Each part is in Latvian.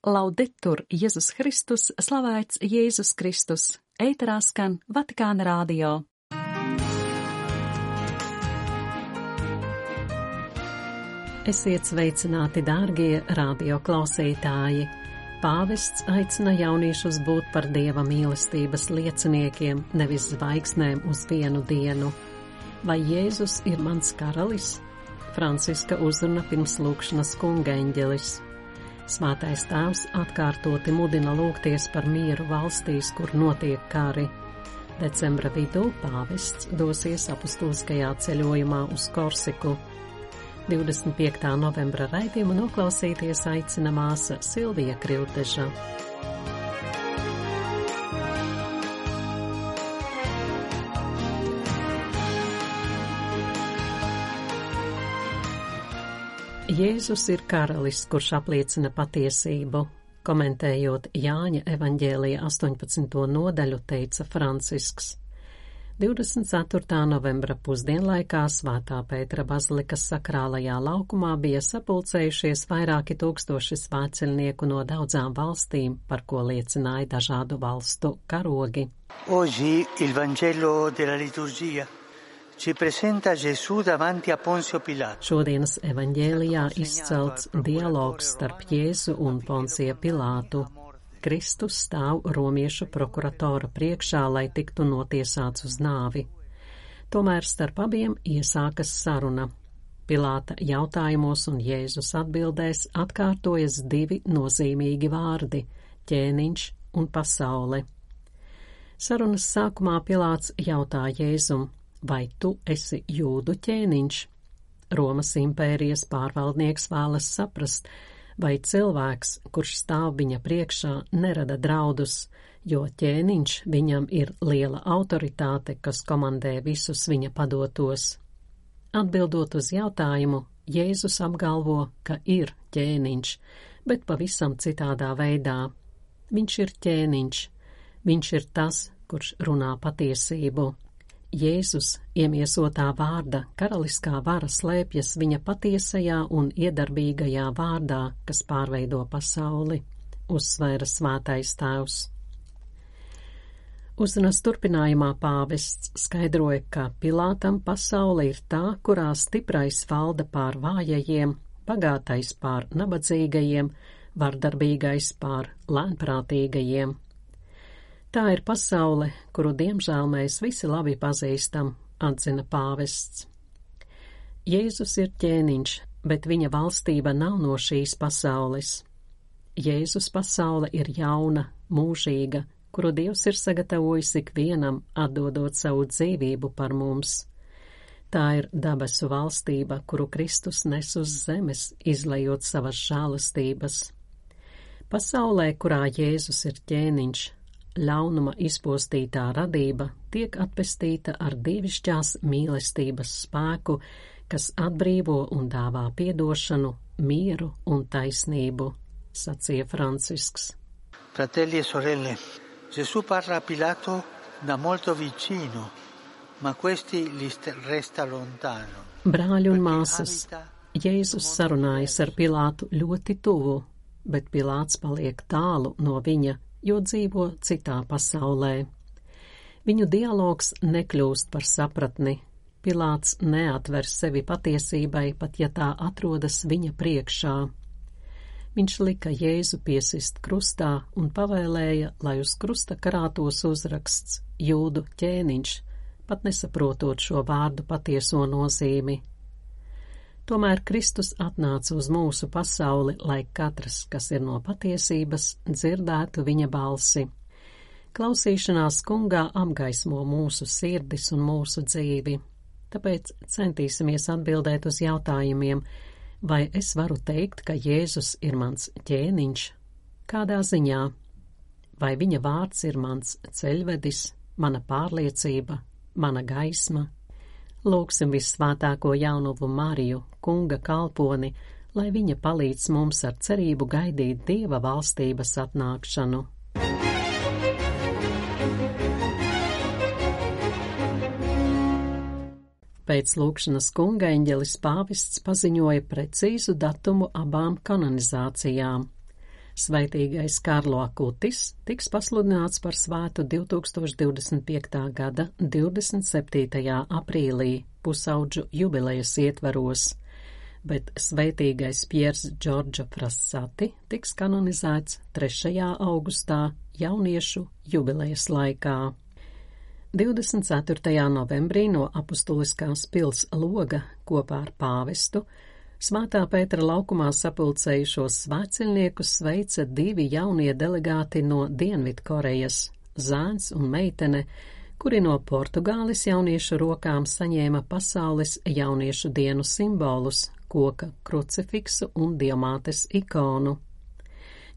Laudetur Jēzus Kristus, slavēts Jēzus Kristus, ēterā skan Vatikāna radio. Esiet sveicināti, dārgie radio klausītāji! Pāvests aicina jauniešus būt par Dieva mīlestības lieciniekiem, nevis zvaigznēm uz vienu dienu. Vai Jēzus ir mans karalis? Franciska uzruna pirms lūgšanas kunga eņģelis. Svētais tēvs atkārtoti mudina lūgties par mieru valstīs, kur notiek kari. Decembra vidū pāvests dosies apustuliskajā ceļojumā uz Korsiku. 25. novembra raidījumu noklausīties aicina māsa Silvija Krilteža. Jēzus ir karalis, kurš apliecina patiesību. Komentējot Jāņa evaņģēlija 18. nodaļu, teica Francisks. 24. novembra pusdienlaikā Svētā Pētera bazilikas sakrālajā laukumā bija sapulcējušies vairāki tūkstoši svētceļnieku no daudzām valstīm, par ko liecināja dažādu valstu karogi. Oggi il Vangelo della liturgia ci presenta Gesù davanti a Ponzio Pilato. Šodienas evaņģēlijā izcelts dialogs starp Jēzu un Poncija Pilātu. Kristus stāv romiešu prokuratora priekšā, lai tiktu notiesāts uz nāvi. Tomēr starp abiem iesākas saruna. Pilāta jautājumos un Jēzus atbildēs atkārtojas divi nozīmīgi vārdi – ķēniņš un pasaule. Sarunas sākumā Pilāts jautā Jēzum: vai tu esi jūdu ķēniņš? Romas impērijas pārvaldnieks vēlas saprast, vai cilvēks, kurš stāv viņa priekšā, nerada draudus, jo ķēniņš viņam ir liela autoritāte, kas komandē visus viņa padotos. Atbildot uz jautājumu, Jēzus apgalvo, ka ir ķēniņš, bet pavisam citādā veidā. Viņš ir ķēniņš, viņš ir tas, kurš runā patiesību. Jēzus, iemiesotā vārda karaliskā vara slēpjas viņa patiesajā un iedarbīgajā vārdā, kas pārveido pasauli, uzsvēra Svētais tēvs. Uzrunas turpinājumā pāvests skaidroja, ka Pilātam pasaule ir tā, kurā stiprais valda pār vājajiem, bagātais pār nabadzīgajiem, vardarbīgais pār lēnprātīgajiem. Tā ir pasaule, kuru diemžēl mēs visi labi pazīstam, atzina pāvests. Jēzus ir ķēniņš, bet viņa valstība nav no šīs pasaules. Jēzus pasaule ir jauna, mūžīga, kuru Dievs ir sagatavojis ikvienam, atdodot savu dzīvību par mums. Tā ir dabesu valstība, kuru Kristus nes uz zemes, izlejot savas žēlastības. Pasaulē, kurā Jēzus ir ķēniņš, ļaunuma izpostītā radība tiek atpestīta ar dievišķās mīlestības spēku, kas atbrīvo un dāvā piedošanu, mieru un taisnību, sacīja Francisks. Fratelli e sorelle, Gesù parla a Pilato da molto vicino, ma questi gli resta lontano. Brāļi un māsas, Jēzus sarunājas ar Pilātu ļoti tuvu, bet Pilāts paliek tālu no viņa, jo dzīvo citā pasaulē. Viņu dialogs nekļūst par sapratni. Pilāts neatver sevi patiesībai, pat ja tā atrodas viņa priekšā. Viņš lika Jēzu piesist krustā un pavēlēja, lai uz krusta karātos uzraksts jūdu ķēniņš, pat nesaprotot šo vārdu patieso nozīmi. Tomēr Kristus atnāca uz mūsu pasauli, lai katrs, kas ir no patiesības, dzirdētu viņa balsi. Klausīšanās kungā apgaismo mūsu sirdis un mūsu dzīvi. Tāpēc centīsimies atbildēt uz jautājumiem, vai es varu teikt, ka Jēzus ir mans ķēniņš? Kādā ziņā? Vai viņa vārds ir mans ceļvedis, mana pārliecība, mana gaisma? Lūgsim Vissvētāko Jaunuvu Mariju, kunga kalponi, lai viņa palīdz mums ar cerību gaidīt Dieva valstības atnākšanu. Pēc lūgšanas kunga eņģelis pāvests paziņoja precīzu datumu abām kanonizācijām. Svētīgais Karlo Akutis tiks pasludināts par svētu 2025. gada 27. aprīlī pusaudžu jubilejas ietvaros, bet svētīgais Piers Džordža Frassati tiks kanonizēts 3. augustā jauniešu jubilejas laikā. 24. novembrī no apustuliskās pils Loga kopā ar pāvestu Svētā Pētera laukumā sapulcējušos svētceļniekus sveica 2 jaunie delegāti no Dienvidkorejas, zēns un meitene, kuri no Portugāles jauniešu rokām saņēma pasaules jauniešu dienu simbolus, koka krucifiksu un diamātes ikonu.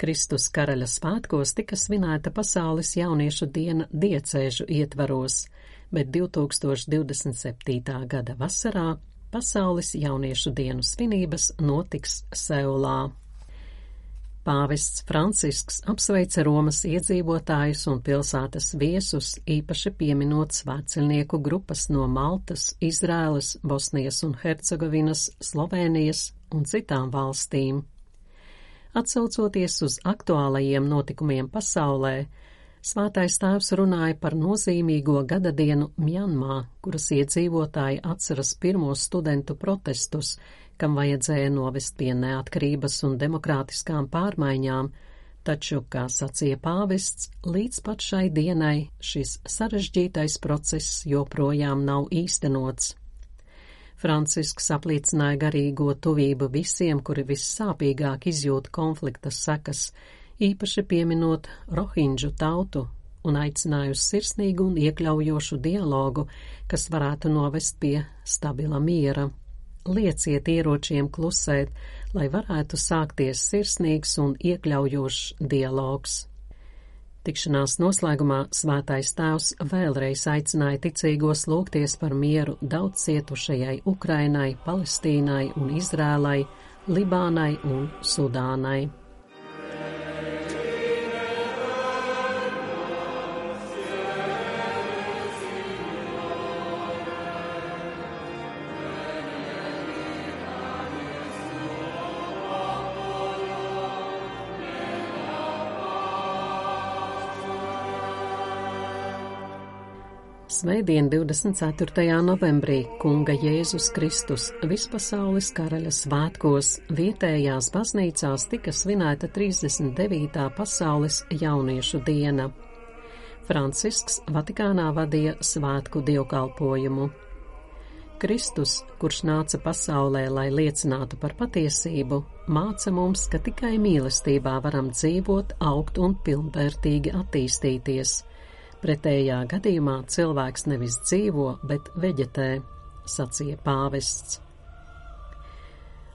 Kristus karaļa svētkos tika svinēta pasaules jauniešu diena diecēžu ietvaros, bet 2027. gada vasarā pasaules jauniešu dienu svinības notiks Seulā. Pāvests Francisks apsveica Romas iedzīvotājus un pilsētas viesus, īpaši pieminot svētceļnieku grupas no Maltas, Izrēlas, Bosnijas un Hercegovinas, Slovēnijas un citām valstīm. Atsaucoties uz aktuālajiem notikumiem pasaulē, Svētais Tēvs runāja par nozīmīgo gadadienu Mjanmā, kuras iedzīvotāji atceras pirmos studentu protestus, kam vajadzēja novest pie neatkarības un demokrātiskām pārmaiņām, taču, kā sacīja pāvests, līdz pat šai dienai šis sarežģītais process joprojām nav īstenots. Francisks apliecināja garīgo tuvību visiem, kuri vissāpīgāk izjūt konflikta sekas, īpaši pieminot rohinģu tautu, un aicināja uz sirsnīgu un iekļaujošu dialogu, kas varētu novest pie stabila miera. Lieciet ieročiem klusēt, lai varētu sākties sirsnīgs un iekļaujošs dialogs. Tikšanās noslēgumā Svētais Tēvs vēlreiz aicināja ticīgos lūgties par mieru daudz cietušajai Ukrainai, Palestīnai un Izrēlai, Libānai un Sudānai. Svētdien 24. novembrī Kunga Jēzus Kristus vispasaules karaļa svētkos vietējās baznīcās tika svinēta 39. pasaules jauniešu diena. Francisks Vatikānā vadīja svētku dievkalpojumu. Kristus, kurš nāca pasaulē, lai liecinātu par patiesību, māca mums, ka tikai mīlestībā varam dzīvot, augt un pilnvērtīgi attīstīties. Pretējā gadījumā cilvēks nevis dzīvo, bet veģetē, sacīja pāvests.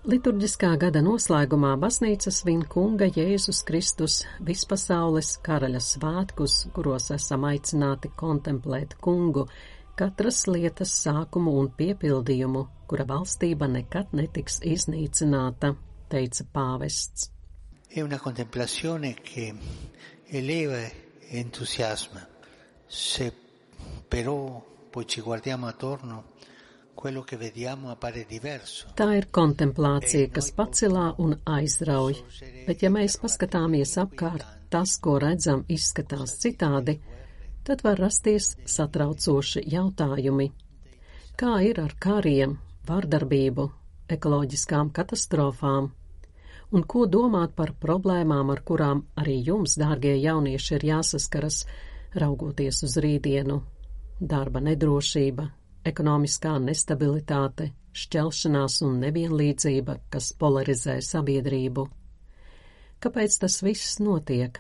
Liturģiskā gada noslēgumā baznīca svin Kunga Jēzus Kristus vispasaules karaļa svētkus, kuros esam aicināti kontemplēt Kungu, katras lietas sākumu un piepildījumu, kura valstība nekad netiks iznīcināta, teica pāvests. È una contemplazione che eleva e entusiasma. Se però poi ci guardiamo attorno, quello che vediamo appare diverso. Tā ir kontemplācija, kas pacelā un aizrauj, bet ja mēs paskatāmies apkārt, tas, ko redzam, izskatās citādi, tad var rasties satraucoši jautājumi. Kā ir ar kariem, vardarbību, ekoloģiskām katastrofām? Un ko domāt par problēmām, ar kurām arī jums, dārgie jaunieši, ir jāsaskaras, raugoties uz rītdienu? Darba nedrošība, ekonomiskā nestabilitāte, šķelšanās un nevienlīdzība, kas polarizē sabiedrību. Kāpēc tas viss notiek?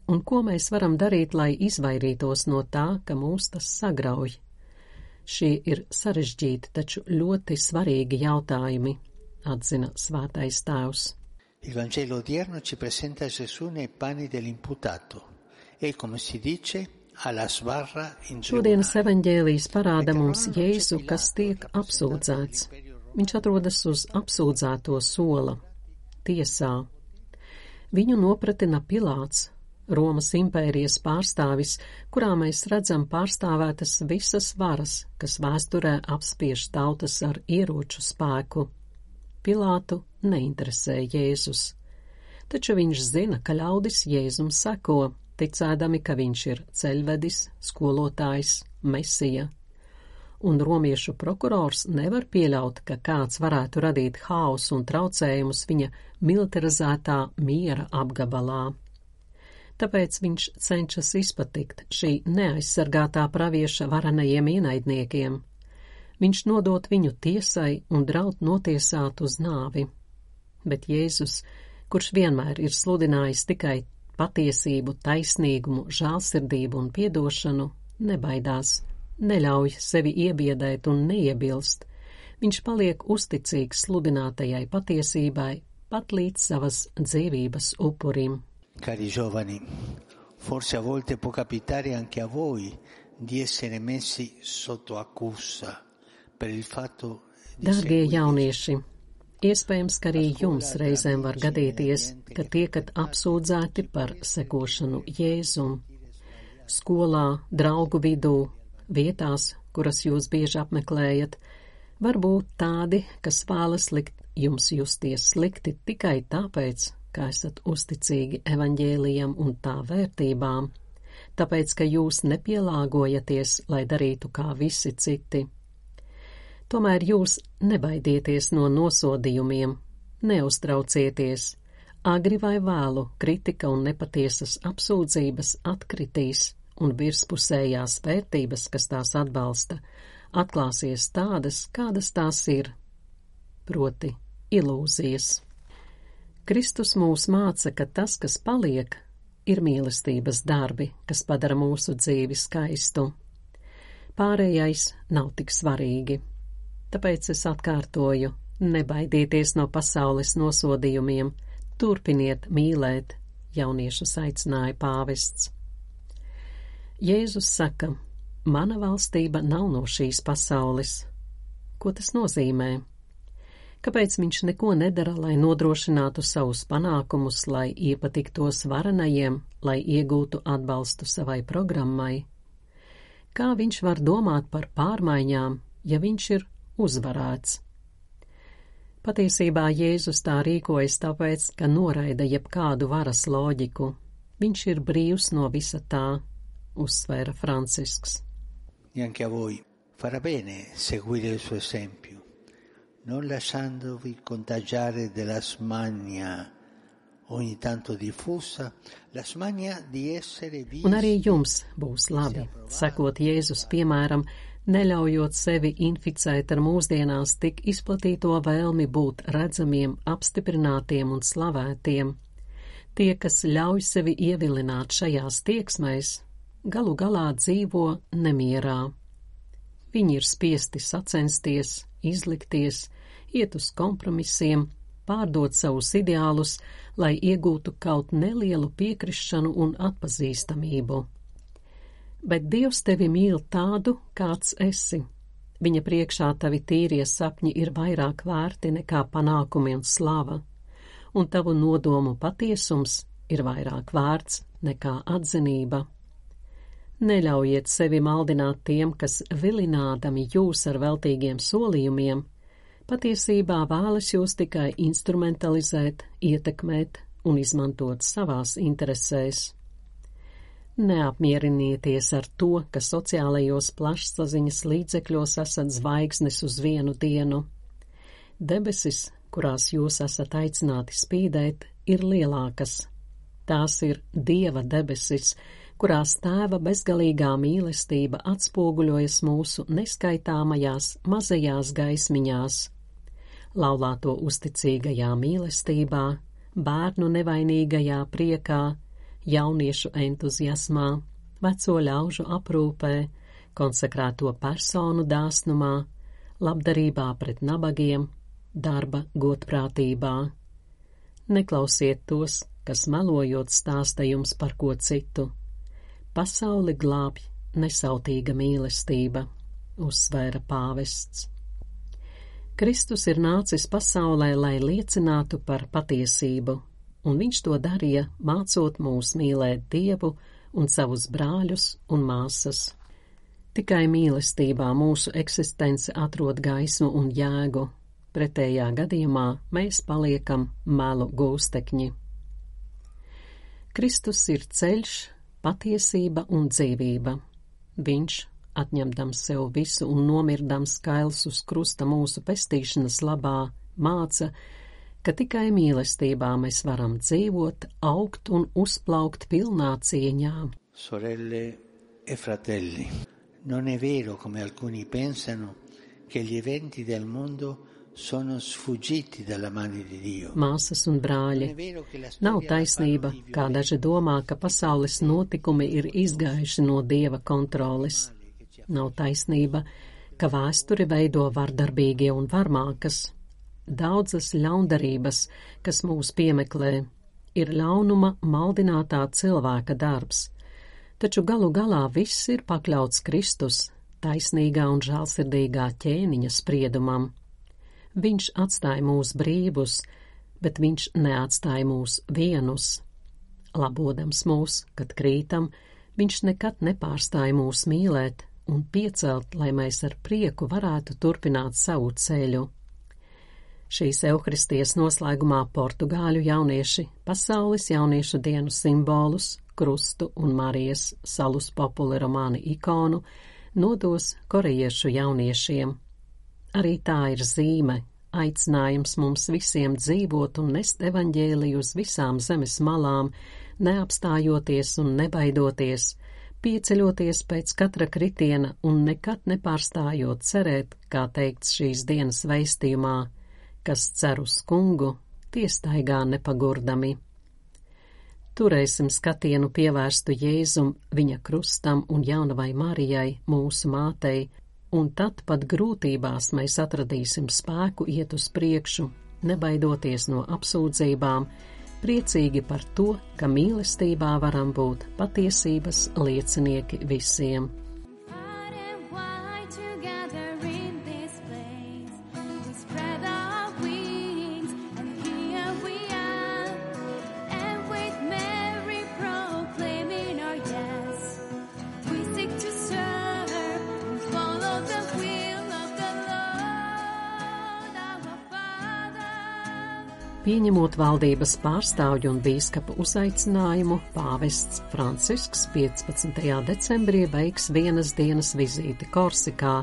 Un ko mēs varam darīt, lai izvairītos no tā, ka mūs tas sagrauj? Šie ir sarežģīti, taču ļoti svarīgi jautājumi, atzina Svētais Tēvs. Il Vangelo odierno ci presenta Gesù nei panni dell'imputato e, come si dice, alla sbarra in tribunale. Šodienas evaņģēlijs parāda mums Jēzu, kas tiek apsūdzēts. Viņš atrodas uz apsūdzēto sola, tiesā. Viņu nopratina Pilāts, Romas impērijas pārstāvis, kurā mēs redzam pārstāvētas visas varas, kas vēsturē apspiež tautas ar ieroču spēku. Pilātu neinteresē Jēzus. taču viņš zina, ka ļaudis Jēzum seko, ticēdami, ka viņš ir ceļvedis, skolotājs, mesija. Un romiešu prokurors nevar pieļaut, ka kāds varētu radīt haosu un traucējumus viņa militarizētā miera apgabalā. Tāpēc viņš cenšas izpatikt šī neaizsargātā pravieša varenajiem ienaidniekiem. Viņš nodot viņu tiesai un draud notiesāt uz nāvi. Bet Jēzus, kurš vienmēr ir sludinājis tikai patiesību, taisnīgumu, žēlsirdību un piedošanu, nebaidās, neļauj sevi iebiedēt un neiebilst. Viņš paliek uzticīgs sludinātajai patiesībai pat līdz savas dzīvības upurim. Cari giovani, forse a volte può capitare anche a voi di essere messi sotto accusa per il fatto di Dārgie jaunieši, iespējams, ka arī jums reizēm var gadīties, ka tiekat apsūdzēti par sekošanu Jēzum. Skolā, draugu vidū, vietās, kuras jūs bieži apmeklējat, var būt tādi, kas vēlas likt jums justies slikti tikai tāpēc, ka esat uzticīgi evaņģēlijam un tā vērtībām, tāpēc, ka jūs nepielāgojaties, lai darītu kā visi citi. Tomēr jūs nebaidieties no nosodījumiem, neuztraucieties, agri vai vēlu kritika un nepatiesas apsūdzības atkritīs, un virspusējās vērtības, kas tās atbalsta, atklāsies tādas, kādas tās ir, proti ilūzijas. Kristus mūs māca, ka tas, kas paliek, ir mīlestības darbi, kas padara mūsu dzīvi skaistu. Pārējais nav tik svarīgi. Tāpēc es atkārtoju, nebaidieties no pasaules nosodījumiem, turpiniet mīlēt, jauniešus aicināja pāvests. Jēzus saka, mana valstība nav no šīs pasaules. Ko tas nozīmē? Kāpēc viņš neko nedara, lai nodrošinātu savus panākumus, lai iepatiktos varenajiem, lai iegūtu atbalstu savai programmai? Kā viņš var domāt par pārmaiņām, ja viņš ir uzvarēts? Patiesībā Jēzus tā rīkojas tāpēc, ka noraida jebkādu varas loģiku. Viņš ir brīvs no visa tā, uzsvēra Francisks. E anche a voi farà bene seguire il suo esempio, non lasciandovi contagiare della smania ogni tanto diffusa, la smania di essere visti. Un arī jums būs labi, sekot Jēzus piemēram, neļaujot sevi inficēt ar mūsdienās tik izplatīto vēlmi būt redzamiem, apstiprinātiem un slavētiem. Tie, kas ļauj sevi ievilināt šajās tieksmēs, galu galā dzīvo nemierā. Viņi ir spiesti sacensties, izlikties, iet uz kompromisiem, pārdot savus ideālus, lai iegūtu kaut nelielu piekrišanu un atpazīstamību. Bet Dievs tevi mīl tādu, kāds esi. Viņa priekšā tavi tīrie sapņi ir vairāk vērti nekā panākumi un slava, un tavu nodomu patiesums ir vairāk vērts nekā atzinība. Neļaujiet sevi maldināt tiem, kas vilinādami jūs ar veltīgiem solījumiem, patiesībā vēlas jūs tikai instrumentalizēt, ietekmēt un izmantot savās interesēs. Neapmierinieties ar to, ka sociālajos plašsaziņas līdzekļos esat zvaigznes uz vienu dienu. Debesis, kurās jūs esat aicināti spīdēt, ir lielākas. Tās ir Dieva debesis, kurās Tēva bezgalīgā mīlestība atspoguļojas mūsu neskaitāmajās mazajās gaismiņās. Laulāto uzticīgajā mīlestībā, bērnu nevainīgajā priekā, jauniešu entuziasmā, veco ļaužu aprūpē, konsekrēto personu dāsnumā, labdarībā pret nabagiem, darba godprātībā. Neklausiet tos, kas melojot stāsta jums par ko citu. Pasauli glābj nesautīga mīlestība, uzsvēra pāvests. Kristus ir nācis pasaulē, lai liecinātu par patiesību, un viņš to darīja, mācot mūs mīlēt Dievu un savus brāļus un māsas. Tikai mīlestībā mūsu eksistence atrod gaismu un jēgu, pretējā gadījumā mēs paliekam melu gūstekņi. Kristus ir ceļš, patiesība un dzīvība. Viņš, atņemdams sev visu un nomirdams kails uz krusta mūsu pestīšanas labā, māca, ka tikai mīlestībā mēs varam dzīvot, augt un uzplaukt pilnā cieņā. Sorelle e fratelli, non è vero come alcuni pensano che gli eventi del mondo sono sfuggiti dalla mano di Dio. Māsas un brāļi, nav taisnība, kā daži domā, ka pasaules notikumi ir izgājuši no Dieva kontroles. Nav taisnība, ka vēsturi veido vardarbīgie un varmākas. Daudzas ļaundarības, kas mūs piemeklē, ir ļaunuma maldinātā cilvēka darbs, taču galu galā viss ir pakļauts Kristus, taisnīgā un žēlsirdīgā ķēniņa spriedumam. Viņš atstāja mūs brīvus, bet viņš neatstāja mūs vienus. Labodams mūs, kad krītam, viņš nekad nepārstāja mūs mīlēt un piecelt, lai mēs ar prieku varētu turpināt savu ceļu. Šīs Euharistijas noslēgumā portugāļu jaunieši pasaules jauniešu dienu simbolus, krustu un Marijas salus populi romāni ikonu nodos korejiešu jauniešiem. Arī tā ir zīme, aicinājums mums visiem dzīvot un nest evaņģēliju uz visām zemes malām, neapstājoties un nebaidoties, pieceļoties pēc katra kritiena un nekad nepārstājot cerēt, kā teikts šīs dienas vēstījumā, kas cer uz kungu, tie staigā nepagurdami. Turēsim skatienu pievērstu Jēzum, viņa krustam un jaunavai Marijai, mūsu mātei, un tad pat grūtībās mēs atradīsim spēku iet uz priekšu, nebaidoties no apsūdzībām, priecīgi par to, ka mīlestībā varam būt patiesības liecinieki visiem. Pieņemot valdības pārstāvju un bīskapa uzaicinājumu, pāvests Francisks 15. decembrī veiks vienas dienas vizīti Korsikā,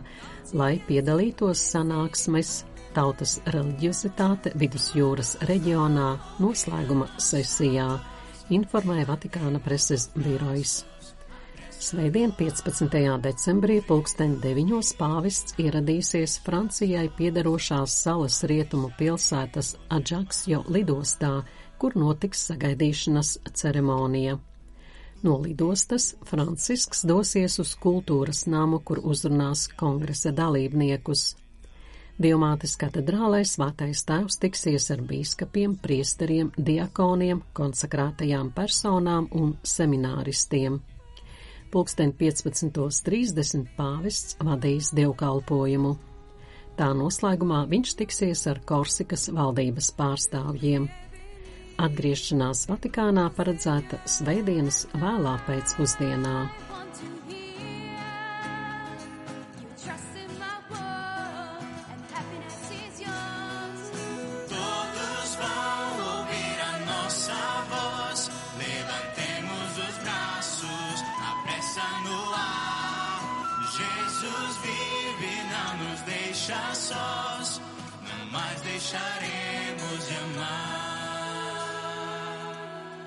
lai piedalītos sanāksmes tautas reliģiozitāte vidusjūras reģionā noslēguma sesijā, informēja Vatikāna preses birojs. Svētdien 15. decembrī 9:00 pāvests ieradīsies Francijai piederošās salas rietumu pilsētas Adžaksjo lidostā, kur notiks sagaidīšanas ceremonija. No lidostas Francisks dosies uz kultūras namu, kur uzrunās kongresa dalībniekus. Dievmātes katedrālē Svētais Tēvs tiksies ar bīskapiem, priesteriem, diakoniem, konsekrētajām personām un semināristiem. 15:30 pāvests vadīs dievkalpojumu. Tā noslēgumā viņš tiksies ar Korsikas valdības pārstāvjiem. Atgriešanās Vatikānā paredzēta svētdienas vēlā pēcpusdienā. Jesus vive, não nos deixa sós, não mais deixaremos de amar.